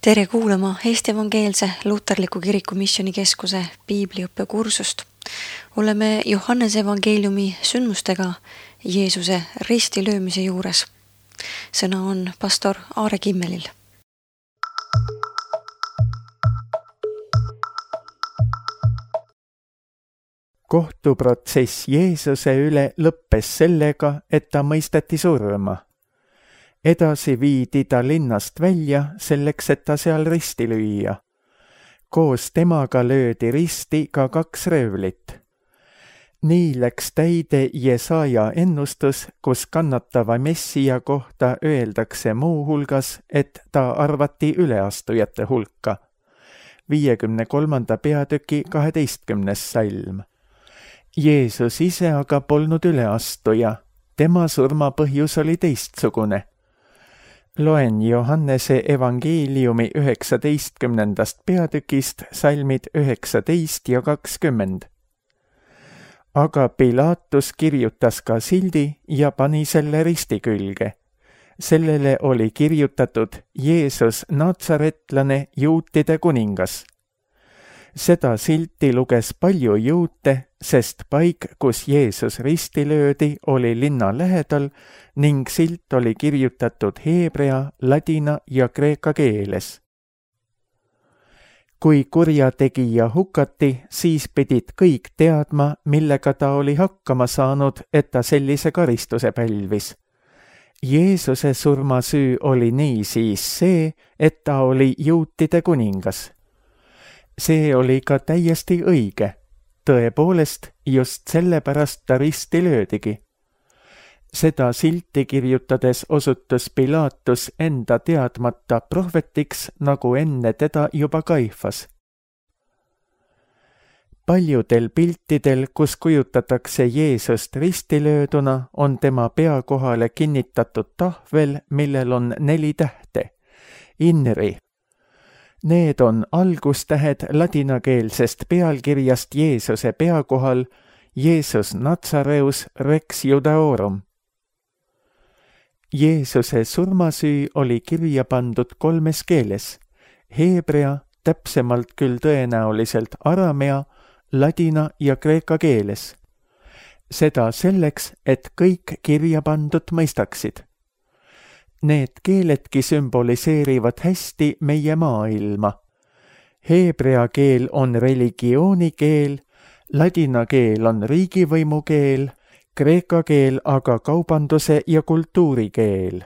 Tere kuulama Eesti Evangeelse Luterliku Kiriku Missioonikeskuse piibliõppekursust. Oleme Johannese evangeeliumi sündmustega Jeesuse ristilöömise juures. Sõna on pastor Aare Kimmelil. Kohtuprotsess Jeesuse üle lõppes sellega, et ta mõisteti surma. Edasi viidi ta linnast välja selleks, et ta seal risti lüüa. Koos temaga löödi risti ka 2 röövlit. Nii läks täide Jesaja ennustus, kus kannatava Messija kohta öeldakse muu hulgas, et ta arvati üleastujate hulka. 53. peatüki 12. salm. Jeesus ise aga polnud üleastuja. Tema surma põhjus oli teistsugune. Loen Johannese evangeeliumi 19. peatükist salmid 19 ja 20. Aga Pilatus kirjutas ka sildi ja pani selle risti külge. Sellele oli kirjutatud Jeesus Natsaretlane, juutide kuningas. Seda silti luges palju juute, sest paik, kus Jeesus risti löödi, oli linna lähedal ning silt oli kirjutatud heebrea, ladina ja kreeka keeles. Kui kurjategija hukati, siis pidid kõik teadma, millega ta oli hakkama saanud, et ta sellise karistuse pälvis. Jeesuse surmasüü oli niisiis see, et ta oli juutide kuningas. See oli ka täiesti õige. Tõepoolest, just sellepärast ta risti löödigi. Seda silti kirjutades osutus Pilatus enda teadmata prohvetiks, nagu enne teda juba Kaifas. Paljudel piltidel, kus kujutatakse Jeesust ristilööduna, on tema pea kohale kinnitatud tahvel, millel on 4 tähte. Inri. Need on algustähed ladinakeelsest pealkirjast Jeesuse pea kohal Jeesus Natsareus Rex Judaorum. Jeesuse surmasüü oli kirja pandud 3 keeles: heebrea, täpsemalt küll tõenäoliselt aramea, ladina ja kreeka keeles. Seda selleks, et kõik kirja pandud mõistaksid. Need keeledki sümboliseerivad hästi meie maailma. Heebrea keel on religiooni keel, ladina keel on riigivõimu keel, kreeka keel aga kaubanduse ja kultuuri keel.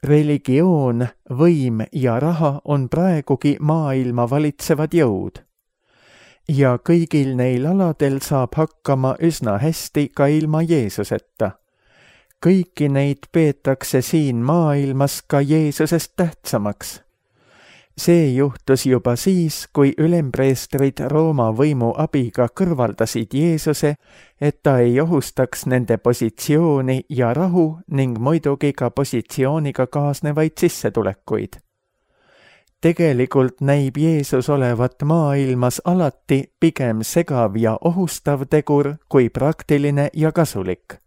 Religioon, võim ja raha on praegugi maailma valitsevad jõud. Ja kõigil neil aladel saab hakkama üsna hästi ka ilma Jeesuseta. Kõiki neid peetakse siin maailmas ka Jeesusest tähtsamaks. See juhtus juba siis, kui ülempreestrid Rooma võimu abiga kõrvaldasid Jeesuse, et ta ei ohustaks nende positsiooni ja rahu ning muidugi ka positsiooniga kaasnevaid sissetulekuid. Tegelikult näib Jeesus olevat maailmas alati pigem segav ja ohustav tegur kui praktiline ja kasulik.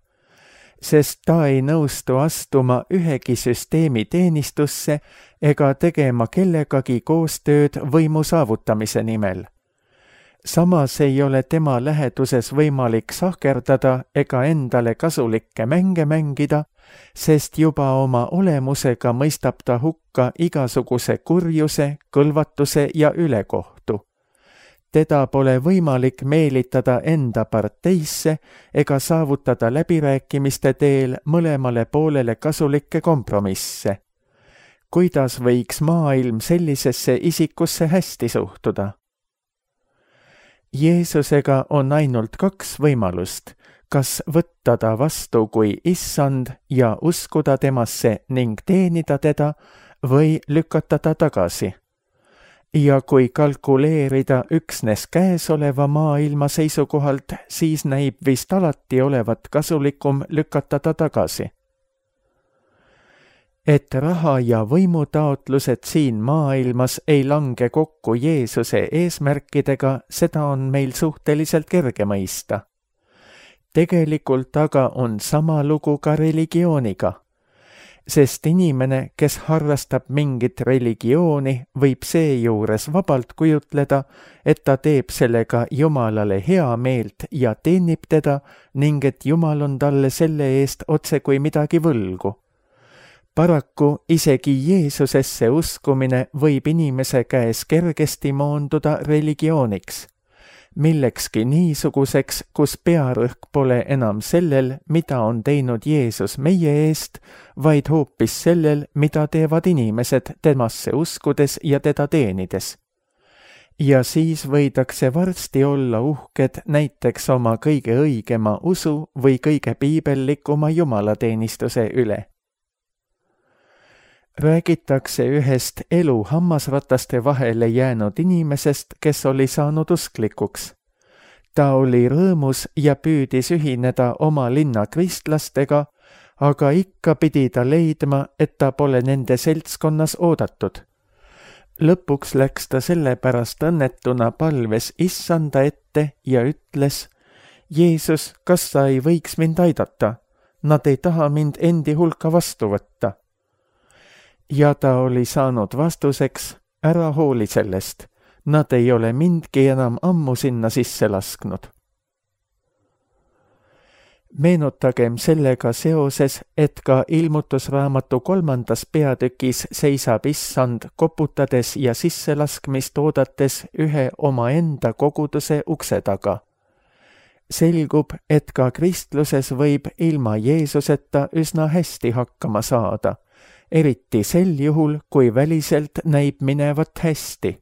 Sest ta ei nõustu astuma ühegi süsteemi teenistusse ega tegema kellegagi koostööd võimu saavutamise nimel. Samas ei ole tema läheduses võimalik sahkerdada ega endale kasulikke mänge mängida, sest juba oma olemusega mõistab ta hukka igasuguse kurjuse, kõlvatuse ja ülekohtu. Teda pole võimalik meelitada enda parteisse ega saavutada läbirääkimiste teel mõlemale poolele kasulikke kompromisse. Kuidas võiks maailm sellisesse isikusse hästi suhtuda? Jeesusega on ainult 2 võimalust, kas võtta ta vastu kui issand ja uskuda temasse ning teenida teda või lükata ta tagasi. Ja kui kalkuleerida üksnes käesoleva maailma seisukohalt, siis näib vist alati olevat kasulikum lükata ta tagasi. Et raha ja võimutaotlused siin maailmas ei lange kokku Jeesuse eesmärkidega, seda on meil suhteliselt kerge mõista. Tegelikult aga on sama lugu ka religiooniga. sest inimene, kes harrastab mingit religiooni, võib seejuures vabalt kujutleda, et ta teeb sellega Jumalale hea meelt ja teenib teda ning et Jumal on talle selle eest otsekui midagi võlgu. Paraku isegi Jeesusesse uskumine võib inimese käes kergesti moonduda religiooniks, millekski niisuguseks, kus pearõhk pole enam sellel, mida on teinud Jeesus meie eest, vaid hoopis sellel, mida teevad inimesed temasse uskudes ja teda teenides. Ja siis võidakse varsti olla uhked näiteks oma kõige õigema usu või kõige piibellikuma jumalateenistuse üle. Räägitakse ühest elu hammasrataste vahele jäänud inimesest, kes oli saanud usklikuks. Ta oli rõõmus ja püüdis ühineda oma linna kristlastega, aga ikka pidi ta leidma, et ta pole nende seltskonnas oodatud. Lõpuks läks ta sellepärast õnnetuna palves Issanda ette ja ütles: Jeesus, kas sa ei võiks mind aidata? Nad ei taha mind endi hulka vastu võtta. Ja ta oli saanud vastuseks: ära hooli sellest, nad ei ole mindki enam ammu sinna sisse lasknud. Meenutagem sellega seoses, et ka ilmutusraamatu 3. peatükis seisab Issand koputades ja sisselaskmist oodates ühe omaenda koguduse ukse taga. Selgub, et ka kristluses võib ilma Jeesuseta üsna hästi hakkama saada, eriti sel juhul, kui väliselt näib minevat hästi.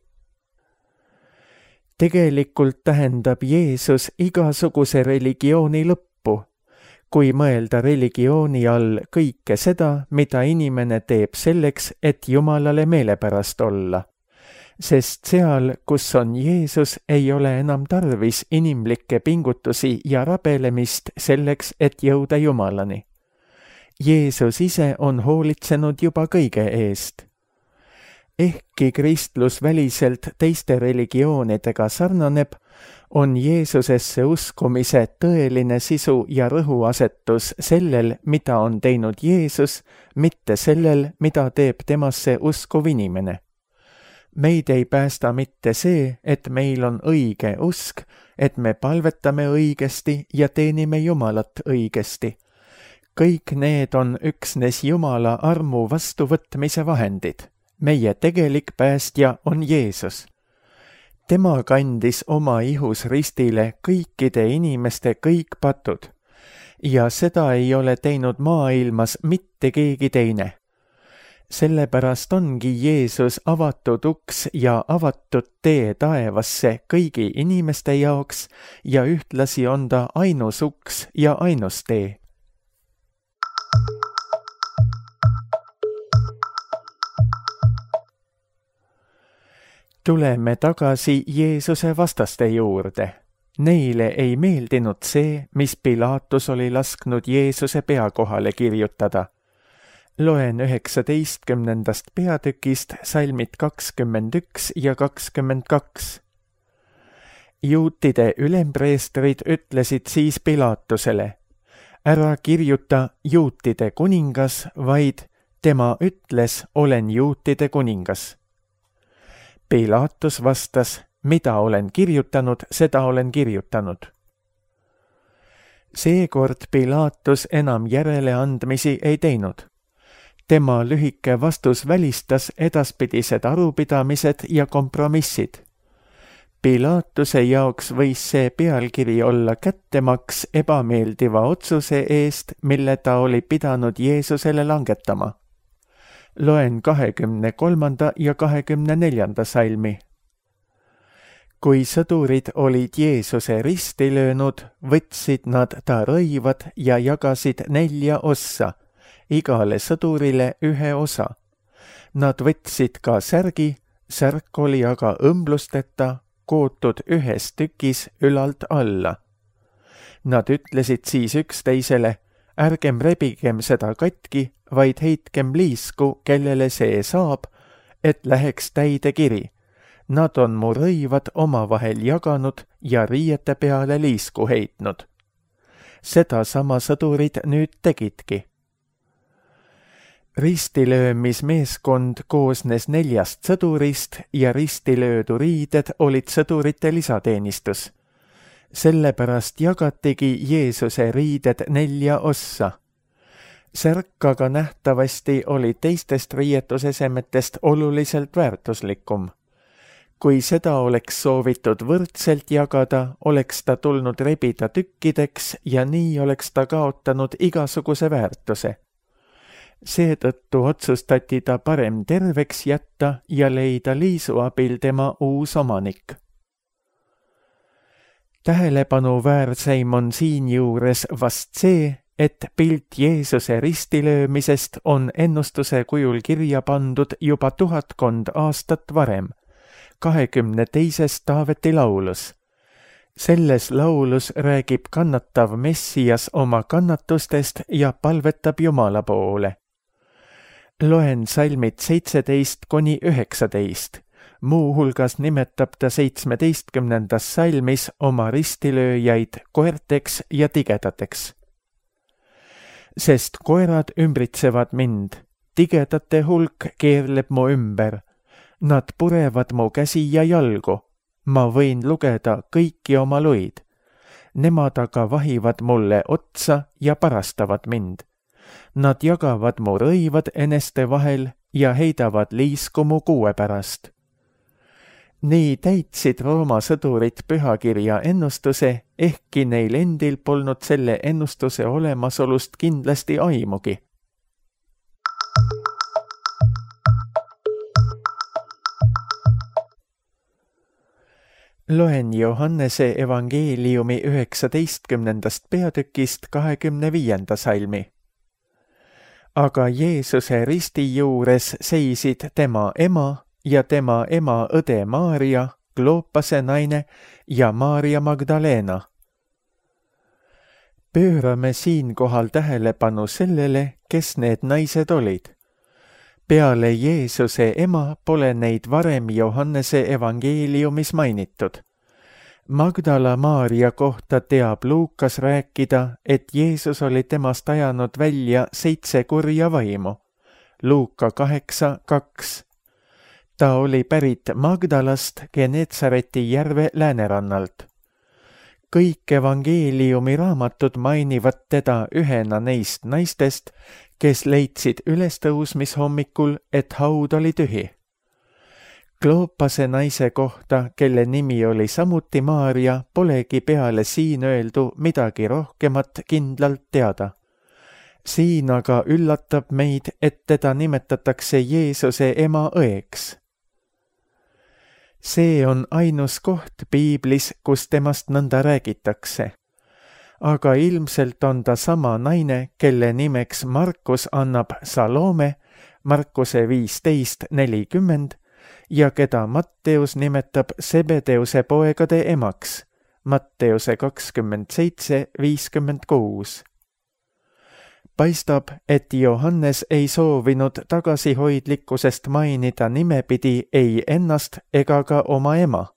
Tegelikult tähendab Jeesus igasuguse religiooni lõppu, kui mõelda religiooni all kõike seda, mida inimene teeb selleks, et Jumalale meelepärast olla. Sest seal, kus on Jeesus, ei ole enam tarvis inimlikke pingutusi ja rabelemist selleks, et jõuda Jumalani. Jeesus ise on hoolitsenud juba kõige eest. Ehkki kristlus väliselt teiste religioonidega sarnaneb, on Jeesusesse uskumise tõeline sisu ja rõhuasetus sellel, mida on teinud Jeesus, mitte sellel, mida teeb temasse uskuv inimene. Meid ei päästa mitte see, et meil on õige usk, et me palvetame õigesti ja teenime Jumalat õigesti. Kõik need on üksnes Jumala armu vastuvõtmise vahendid. Meie tegelik päästja on Jeesus. Tema kandis oma ihus ristile kõikide inimeste kõik patud ja seda ei ole teinud maailmas mitte keegi teine. Sellepärast ongi Jeesus avatud uks ja avatud tee taevasse kõigi inimeste jaoks ja ühtlasi on ta ainus uks ja ainus tee. Tuleme tagasi Jeesuse vastaste juurde. Neile ei meeldinud see, mis Pilatus oli lasknud Jeesuse pea kohale kirjutada. Loen 19. peatükist salmid 21 ja 22. Juutide ülempreestrid ütlesid siis Pilatusele: ära kirjuta juutide kuningas, vaid tema ütles, olen juutide kuningas. Pilatus vastas: mida olen kirjutanud, seda olen kirjutanud. Seekord Pilatus enam järeleandmisi ei teinud. Tema lühike vastus välistas edaspidised arupidamised ja kompromissid. Pilatuse jaoks võis see pealkiri olla kättemaks ebameeldiva otsuse eest, mille ta oli pidanud Jeesusele langetama. Loen 23. ja 24. salmi. Kui sõdurid olid Jeesuse risti löönud, võtsid nad ta rõivad ja jagasid 4 ossa, igale sõdurile 1 osa. Nad võtsid ka särgi, särk oli aga õmblusteta, kootud 1 tükis ülalt alla. Nad ütlesid siis üksteisele: ärgem rebigem seda katki, vaid heitkem liisku, kellele see saab, et läheks täide kiri. Nad on mu rõivad omavahel jaganud ja riiete peale liisku heitnud. Seda sama sõdurid nüüd tegidki. ristilöömismeeskond koosnes 4 sõdurist ja ristilöödu riided olid sõdurite lisateenistus. Sellepärast jagatigi Jeesuse riided 4 ossa. Särk aga nähtavasti oli teistest riietusesemetest oluliselt väärtuslikum. Kui seda oleks soovitud võrdselt jagada, oleks ta tulnud rebida tükkideks ja nii oleks ta kaotanud igasuguse väärtuse. Seetõttu otsustati ta parem terveks jätta ja leida Liisu abil tema uus omanik. Tähelepanuväärseim on siinjuures vast see, et pilt Jeesuse ristilöömisest on ennustuse kujul kirja pandud juba 1000 aastat varem, 22. Taaveti laulus. Selles laulus räägib kannatav Messias oma kannatustest ja palvetab Jumala poole. Loen salmid 17–19. Muuhulgas nimetab ta 17. salmis oma ristilööjaid koerteks ja tigedateks. Sest koerad ümbritsevad mind, tigedate hulk keerleb mu ümber. Nad purevad mu käsi ja jalgu, ma võin lugeda kõiki oma luid. Nemad aga vahivad mulle otsa ja parastavad mind. Nad jagavad mu rõivad eneste vahel ja heidavad liisku mu kuue pärast. Nii täitsid Rooma sõdurid pühakirja ennustuse, ehkki neil endil polnud selle ennustuse olemasolust kindlasti aimugi. Loen Johannese evangeeliumi 19. peatükist 25. salmi. Aga Jeesuse risti juures seisid tema ema ja tema ema õde Maaria, Kloopase naine ja Maaria Magdalena. Pöörame siinkohal tähelepanu sellele, kes need naised olid. Peale Jeesuse ema pole neid varem Johannese evangeeliumis mainitud. Magdala Maaria kohta teab Luukas rääkida, et Jeesus oli temast ajanud välja 7 kurja vaimu. Luuka 8:2. Ta oli pärit Magdalast Genetsareti järve läänerannalt. Kõik evangeeliumi raamatud mainivad teda ühena neist naistest, kes leidsid ülestõusmishommikul, et haud oli tühi. Kloopase naise kohta, kelle nimi oli samuti Maaria, polegi peale siin öeldu midagi rohkemat kindlalt teada. Siin aga üllatab meid, et teda nimetatakse Jeesuse ema õeks. See on ainus koht piiblis, kus temast nõnda räägitakse. Aga ilmselt on ta sama naine, kelle nimeks Markus annab Salome, Markuse 15:40, ja keda Matteus nimetab Sebedeuse poegade emaks, Matteuse 27:56. Paistab, et Johannes ei soovinud tagasihoidlikkusest mainida nimepidi ei ennast ega ka oma ema.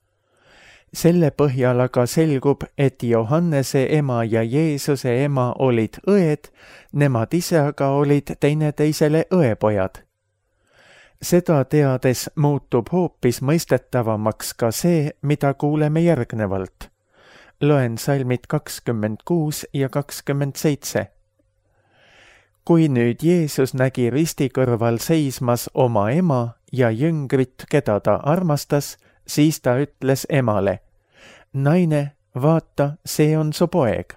Selle põhjal aga selgub, et Johannese ema ja Jeesuse ema olid õed, nemad ise aga olid teineteisele õepojad. Seda teades muutub hoopis mõistetavamaks ka see, mida kuuleme järgnevalt. Loen salmid 26 ja 27. Kui nüüd Jeesus nägi risti kõrval seismas oma ema ja jüngrit, keda ta armastas, siis ta ütles emale: naine, vaata, see on su poeg.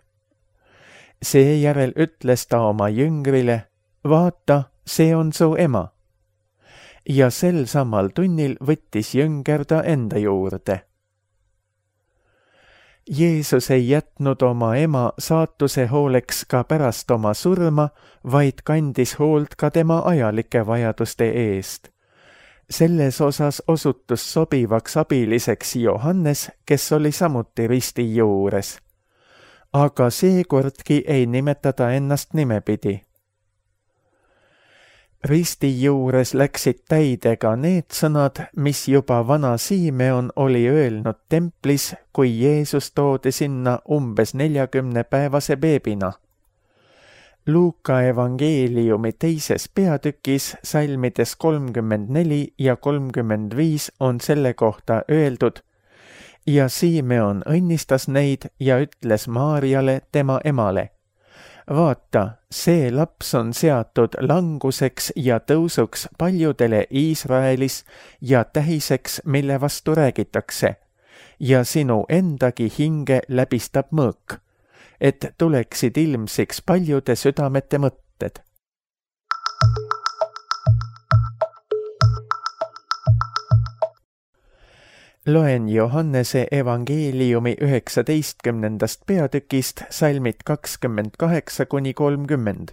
Seejärel ütles ta oma jüngrile: vaata, see on su ema. Ja sel samal tunnil võttis jünger ta enda juurde. Jeesus ei jätnud oma ema saatuse hooleks ka pärast oma surma, vaid kandis hoolt ka tema ajalike vajaduste eest. Selles osas osutus sobivaks abiliseks Johannes, kes oli samuti risti juures. Aga seekordki ei nimetada ennast nimepidi. Risti juures läksid täidega need sõnad, mis juba vana Simeon oli öelnud templis, kui Jeesus toodi sinna umbes 40-päevase beebina. Luuka evangeeliumi 2. peatükis salmides 34 ja 35 on selle kohta öeldud: ja Simeon õnnistas neid ja ütles Maarjale, tema emale: vaata, see laps on seatud languseks ja tõusuks paljudele Iisraelis ja tähiseks, mille vastu räägitakse, ja sinu endagi hinge läbistab mõõk, et tuleksid ilmsiks paljude südamete mõtted. Loen Johannese evangeeliumi 19. peatükist salmid 28–30.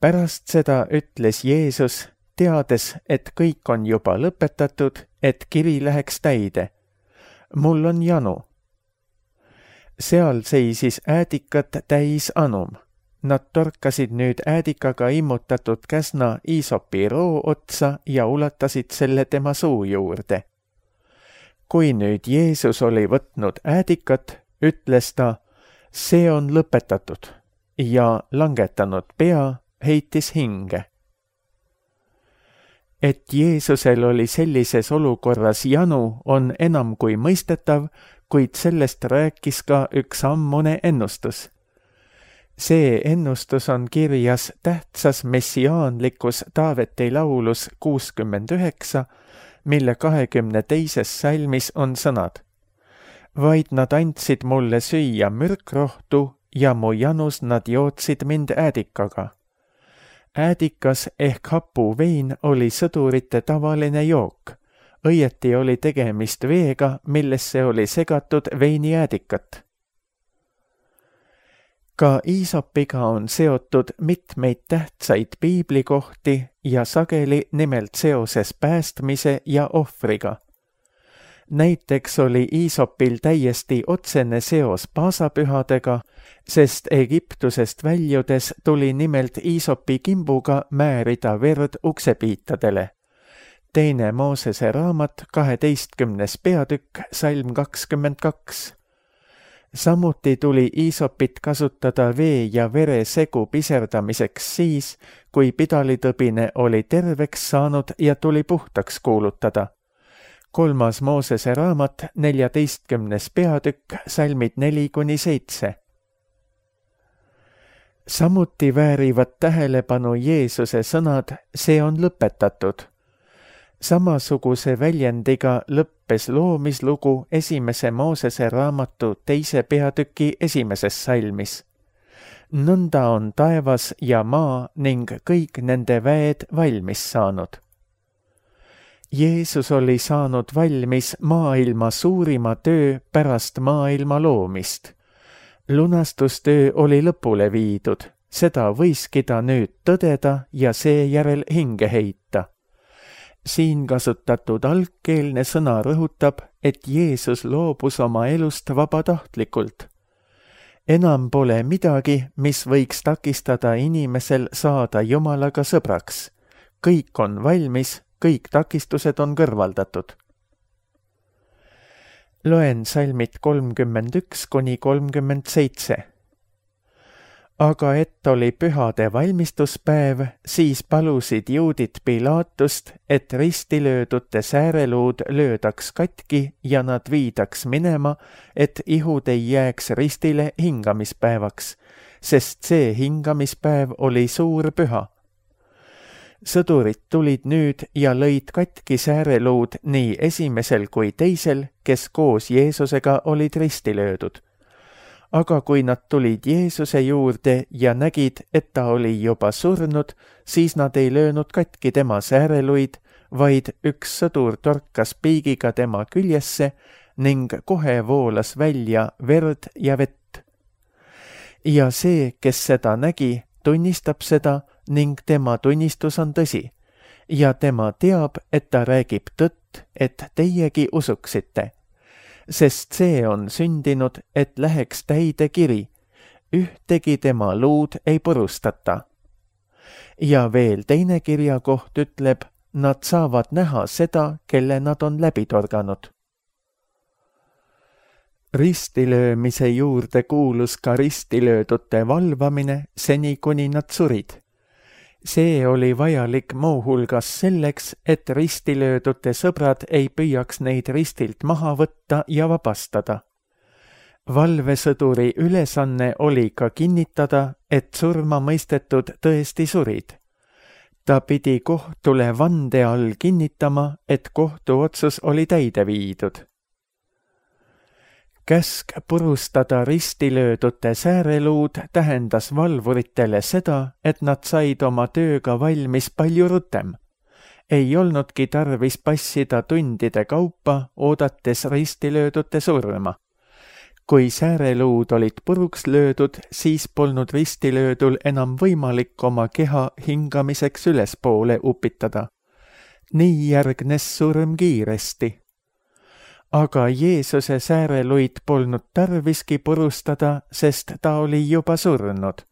Pärast seda ütles Jeesus, teades, et kõik on juba lõpetatud, et kiri läheks täide: mul on janu. Seal seisis äädikat täis anum. Nad torkasid nüüd äädikaga immutatud käsna iisopi roo otsa ja ulatasid selle tema suu juurde. Kui nüüd Jeesus oli võtnud äädikat, ütles ta: see on lõpetatud, ja langetanud pea, heitis hinge. Et Jeesusel oli sellises olukorras janu, on enam kui mõistetav, kuid sellest rääkis ka üks ammune ennustus. See ennustus on kirjas tähtsas messiaanlikus Taaveti laulus 69, mille 22. salmis on sõnad: vaid nad andsid mulle süüa mürkrohtu ja mu janus nad jootsid mind äädikaga. Äädikas ehk hapuvein oli sõdurite tavaline jook. Õieti oli tegemist veega, millesse oli segatud veiniäädikat. Ka iisopiga on seotud mitmeid tähtsaid piiblikohti ja sageli nimelt seoses päästmise ja ohvriga. Näiteks oli iisopil täiesti otsene seos paasapühadega, sest Egiptusest väljudes tuli nimelt iisopi kimbuga määrida verd uksepiitadele. 2. Moosese raamat 12. peatükk salm 22. Samuti tuli iisopit kasutada vee ja vere segu piserdamiseks siis, kui pidalitõbine oli terveks saanud ja tuli puhtaks kuulutada. 3. Moosese raamat 14. peatükk salmid 4–7. Samuti väärivad tähelepanu Jeesuse sõnad: see on lõpetatud. Samasuguse väljendiga lõppes loomislugu 1. Moosese raamatu 2. peatüki 1. salmis. Nõnda on taevas ja maa ning kõik nende väed valmis saanud. Jeesus oli saanud valmis maailma suurima töö pärast maailma loomist. Lunastustöö oli lõpule viidud, seda võiski ta nüüd tõdeda ja seejärel hinge heita. Siin kasutatud algkeelne sõna rõhutab, et Jeesus loobus oma elust vabatahtlikult. Enam pole midagi, mis võiks takistada inimesel saada Jumalaga sõbraks. Kõik on valmis, kõik takistused on kõrvaldatud. Loen salmid 31–37. Aga et oli pühade valmistuspäev, siis palusid juudid Pilaatust, et ristilöödute sääreluud löödaks katki ja nad viidaks minema, et ihud ei jääks ristile hingamispäevaks, sest see hingamispäev oli suur püha. Sõdurid tulid nüüd ja lõid katki sääreluud nii esimesel kui teisel, kes koos Jeesusega olid ristilöödud. Aga kui nad tulid Jeesuse juurde ja nägid, et ta oli juba surnud, siis nad ei löönud katki tema sääreluid, vaid üks sõdur torkas piigiga tema küljesse ning kohe voolas välja verd ja vett. Ja see, kes seda nägi, tunnistab seda ning tema tunnistus on tõsi. Ja tema teab, et ta räägib tõtt, et teiegi usuksite. Sest see on sündinud, et läheks täide kiri. Ühtegi tema luud ei purustata. Ja veel teine kirjakoht ütleb, nad saavad näha seda, kelle nad on läbi torganud. Ristilöömise juurde kuulus ka ristilöödute valvamine seni, kuni nad surid. See oli vajalik muuhulgas selleks, et ristilöödute sõbrad ei püüaks neid ristilt maha võtta ja vabastada. Valvesõduri ülesanne oli ka kinnitada, et surma mõistetud tõesti surid. Ta pidi kohtule vande all kinnitama, et kohtuotsus oli täide viidud. Käsk purustada ristilöödute sääreluud tähendas valvuritele seda, et nad said oma tööga valmis palju rutem. Ei olnudki tarvis passida tundide kaupa, oodates ristilöödute surma. Kui sääreluud olid puruks löödud, siis polnud ristilöödul enam võimalik oma keha hingamiseks ülespoole upitada. Nii järgnes surm kiiresti. Aga Jeesuse sääreluid polnud tarviski purustada, sest ta oli juba surnud.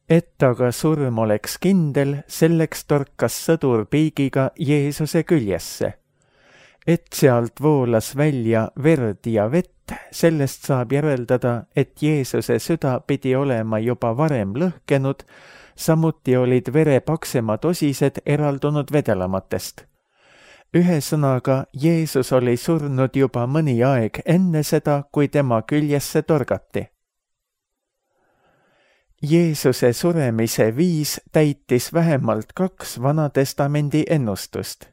Et aga surm oleks kindel, selleks torkas sõdur piigiga Jeesuse küljesse. Et sealt voolas välja verd ja vett, sellest saab järeldada, et Jeesuse süda pidi olema juba varem lõhkenud, samuti olid vere paksemad osised eraldunud vedelamatest. Ühesõnaga, Jeesus oli surnud juba mõni aeg enne seda, kui tema küljesse torgati. Jeesuse suremise viis täitis vähemalt 2 Vanatestamendi ennustust.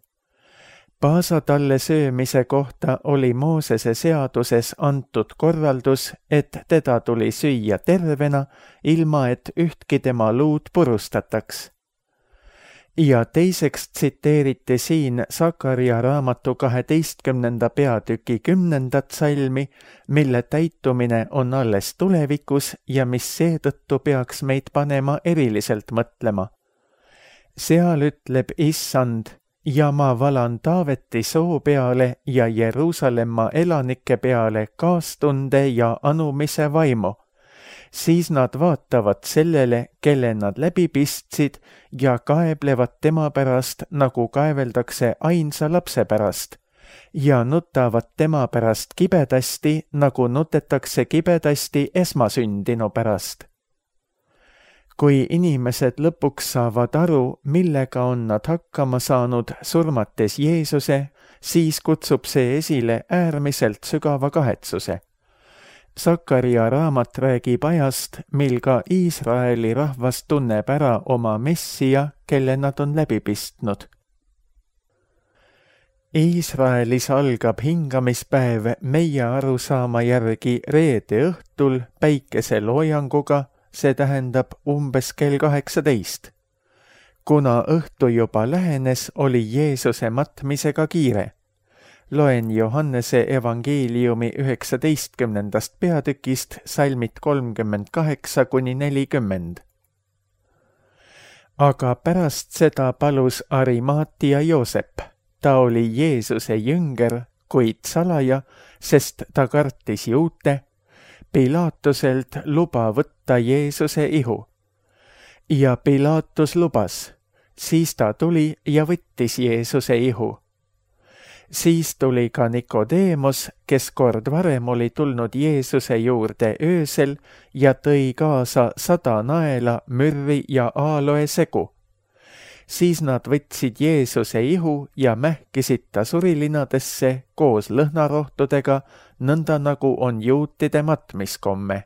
Paasatalle söömise kohta oli Moosese seaduses antud korraldus, et teda tuli süüa tervena, ilma et ühtki tema luud purustataks. Ja teiseks tsiteeriti siin Sakaria raamatu 12. peatüki 10. salmi, mille täitumine on alles tulevikus ja mis seetõttu peaks meid panema eriliselt mõtlema. Seal ütleb Issand: ja ma valan Taaveti soo peale ja Jeruusalemma elanike peale kaastunde ja anumise vaimu. Siis nad vaatavad sellele, kelle nad läbi pistsid ja kaeblevad tema pärast, nagu kaeveldakse ainsa lapse pärast, ja nutavad tema pärast kibedasti, nagu nutetakse kibedasti esmasündinu pärast. Kui inimesed lõpuks saavad aru, millega on nad hakkama saanud surmates Jeesuse, siis kutsub see esile äärmiselt sügava kahetsuse. Sakaria raamat räägib ajast, mil ka Iisraeli rahvas tunneb ära oma Messija, kelle nad on läbi pistnud. Iisraelis algab hingamispäev meie arusaama järgi reede õhtul päikeseloojanguga, see tähendab umbes kell 18. Kuna õhtu juba lähenes, oli Jeesuse matmisega kiire. Loen Johannese evangeeliumi 19. peatükist salmid 38–40. Aga pärast seda palus Arimaatia Joosep. Ta oli Jeesuse jünger, kuid salaja, sest ta kartis juute, Pilaatuselt luba võtta Jeesuse ihu. Ja Pilaatus lubas, siis ta tuli ja võttis Jeesuse ihu. Siis tuli ka Nikodeemos, kes kord varem oli tulnud Jeesuse juurde öösel ja tõi kaasa 100 naela, mürri ja aaloe segu. Siis nad võtsid Jeesuse ihu ja mähkisid ta surilinadesse koos lõhnarohtudega, nõnda nagu on juutide matmiskomme.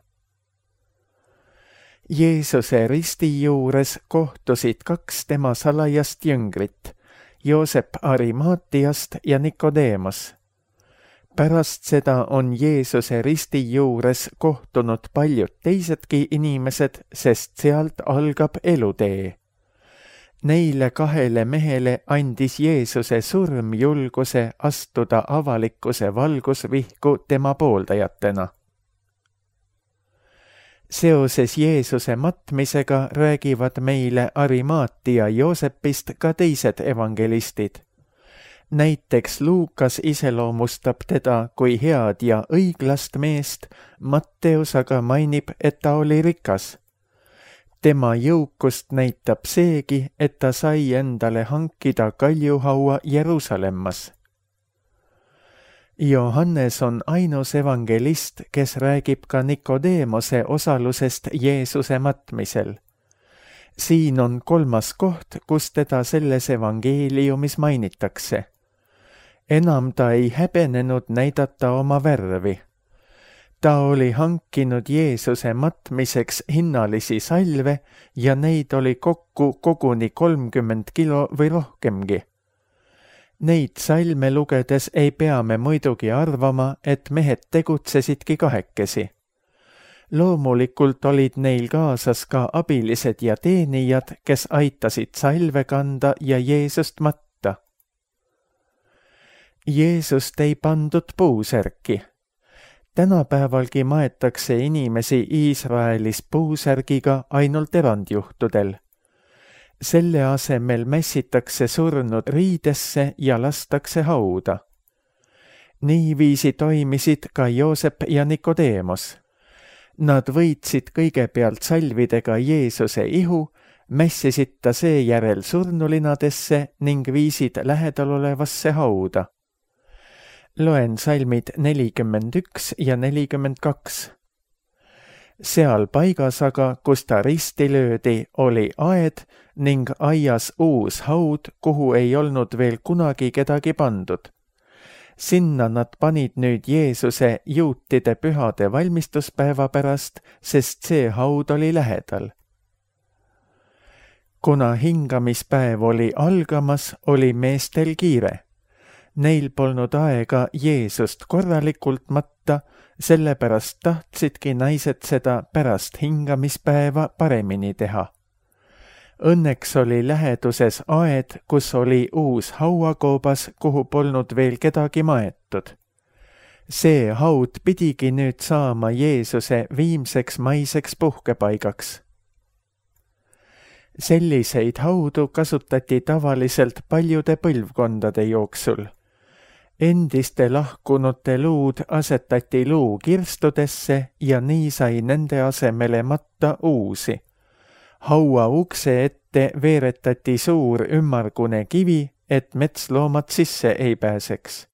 Jeesuse risti juures kohtusid 2 tema salajast jüngrit, Joosep Arimaatiast ja Nikodeemos. Pärast seda on Jeesuse risti juures kohtunud paljud teisedki inimesed, sest sealt algab elutee. Neile 2 mehele andis Jeesuse surm julguse astuda avalikkuse valgusvihku tema pooldajatena. Seoses Jeesuse matmisega räägivad meile Arimaatia Joosepist ka teised evangelistid. Näiteks Luukas iseloomustab teda kui head ja õiglast meest, Matteus aga mainib, et ta oli rikas. Tema jõukust näitab seegi, et ta sai endale hankida kaljuhaua Jeruusalemmas. Johannes on ainus evangelist, kes räägib ka Nikodeemose osalusest Jeesuse matmisel. Siin on 3. koht, kus teda selles evangeeliumis mainitakse. Enam ta ei häbenenud näidata oma värvi. Ta oli hankinud Jeesuse matmiseks hinnalisi salve ja neid oli kokku koguni 30 kilo või rohkemgi. Neid salme lugedes ei pea me muidugi arvama, et mehed tegutsesidki kahekesi. Loomulikult olid neil kaasas ka abilised ja teenijad, kes aitasid salve kanda ja Jeesust matta. Jeesust ei pandud puusärki. Tänapäevalgi maetakse inimesi Iisraelis puusärgiga ainult erandjuhtudel. Selle asemel mässitakse surnud riidesse ja lastakse hauda. Niiviisi toimisid ka Joosep ja Nikodeemos. Nad võitsid kõigepealt salvidega Jeesuse ihu, mässisid ta seejärel surnulinadesse ning viisid lähedalolevasse hauda. Loen salmid 41 ja 42. Seal paigas aga, kus ta risti löödi, oli aed ning aias uus haud, kuhu ei olnud veel kunagi kedagi pandud. Sinna nad panid nüüd Jeesuse juutide pühade valmistuspäeva pärast, sest see haud oli lähedal. Kuna hingamispäev oli algamas, oli meestel kiire. Neil polnud aega Jeesust korralikult matta, sellepärast tahtsidki naised seda pärast hingamispäeva paremini teha. Õnneks oli läheduses aed, kus oli uus hauakoobas, kuhu polnud veel kedagi maetud. See haud pidigi nüüd saama Jeesuse viimseks maiseks puhkepaigaks. Selliseid haudu kasutati tavaliselt paljude põlvkondade jooksul. Endiste lahkunute luud asetati luukirstudesse ja nii sai nende asemele matta uusi. Haua ukse ette veeretati suur ümmargune kivi, et metsloomad sisse ei pääseks.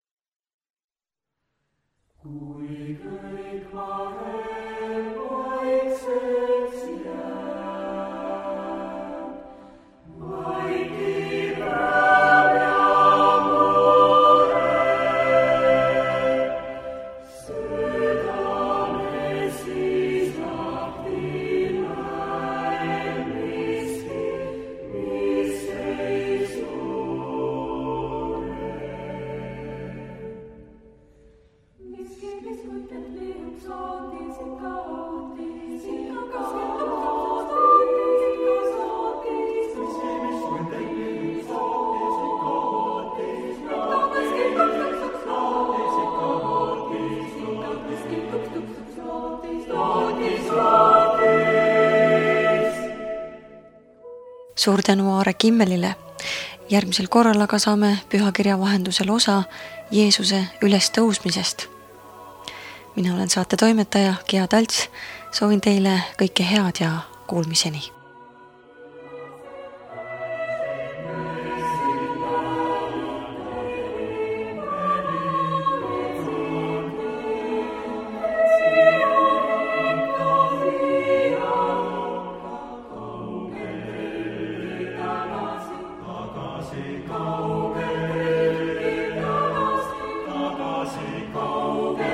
Suur tänu Aare Kimmelile. Järgmisel korral aga saame pühakirja vahendusel osa Jeesuse ülestõusmisest. Mina olen saate toimetaja Gea Talts. Soovin teile kõike head ja kuulmiseni. Tagasi kaugel.